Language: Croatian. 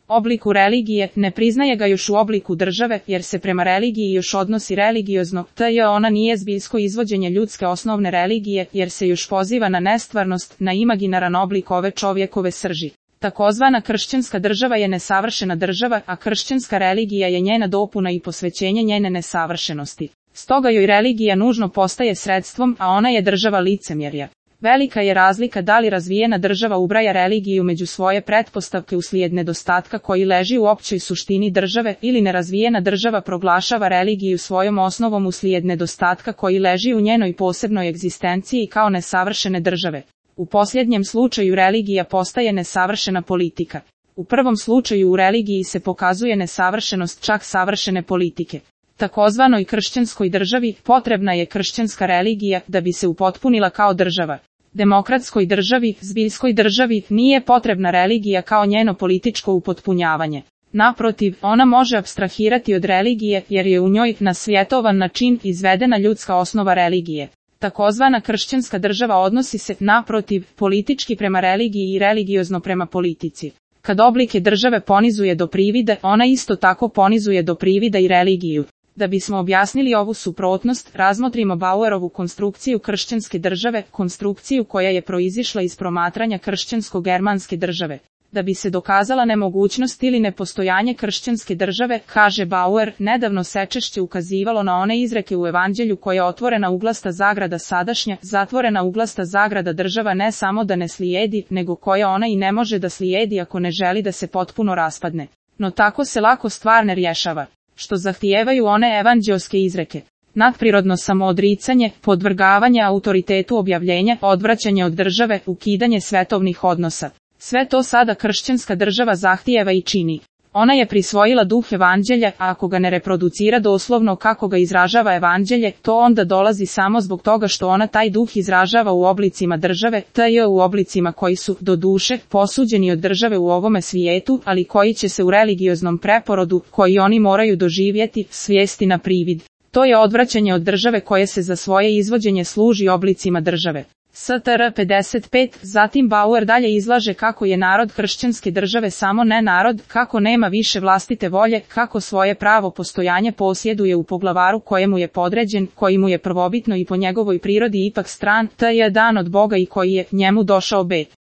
obliku religije, ne priznaje ga još u obliku države, jer se prema religiji još odnosi religiozno, ona nije zbiljsko izvođenje ljudske osnovne religije, jer se još poziva na nestvarnost, na imaginaran oblik ove čovjekove srži. Takozvana kršćanska država je nesavršena država, a kršćanska religija je njena dopuna i posvećenje njene nesavršenosti. Stoga joj religija nužno postaje sredstvom, a ona je država licemjerja. Velika je razlika da li razvijena država ubraja religiju među svoje pretpostavke uslijed nedostatka koji leži u općoj suštini države, ili nerazvijena država proglašava religiju svojom osnovom uslijed nedostatka koji leži u njenoj posebnoj egzistenciji kao nesavršene države. U posljednjem slučaju religija postaje nesavršena politika. U prvom slučaju u religiji se pokazuje nesavršenost čak savršene politike. Takozvanoj kršćanskoj državi potrebna je kršćanska religija da bi se upotpunila kao država. Demokratskoj državi, zbiljskoj državi, nije potrebna religija kao njeno političko upotpunjavanje. Naprotiv, ona može apstrahirati od religije jer je u njoj na svjetovan način izvedena ljudska osnova religije. Takozvana kršćanska država odnosi se, naprotiv, politički prema religiji i religiozno prema politici. Kad oblike države ponizuje do privide, ona isto tako ponizuje do privida i religiju. Da bismo objasnili ovu suprotnost, razmotrimo Bauerovu konstrukciju kršćanske države, konstrukciju koja je proizišla iz promatranja kršćansko-germanske države. Da bi se dokazala nemogućnost ili nepostojanje kršćanske države, kaže Bauer, nedavno se češće ukazivalo na one izreke u Evanđelju koje otvorena uglasta zagrada sadašnja, zatvorena uglasta zagrada država ne samo da ne slijedi, nego koja ona i ne može da slijedi ako ne želi da se potpuno raspadne. No tako se lako stvar ne rješava. Što zahtijevaju one evanđelske izreke. Nadprirodno samoodricanje, podvrgavanje autoritetu objavljenja, odvraćanje od države, ukidanje svetovnih odnosa. Sve to sada kršćanska država zahtijeva i čini. Ona je prisvojila duh evanđelja, a ako ga ne reproducira doslovno kako ga izražava evanđelje, to onda dolazi samo zbog toga što ona taj duh izražava u oblicima države, u oblicima koji su, do duše, posuđeni od države u ovome svijetu, ali koji će se u religioznom preporodu, koji oni moraju doživjeti, svesti na privid. To je odvraćanje od države koje se za svoje izvođenje služi oblicima države. Str. 55, zatim Bauer dalje izlaže kako je narod kršćanske države samo ne narod, kako nema više vlastite volje, kako svoje pravo postojanje posjeduje u poglavaru kojemu je podređen, koji mu je prvobitno i po njegovoj prirodi ipak stran, je dan od Boga i koji je njemu došao bet.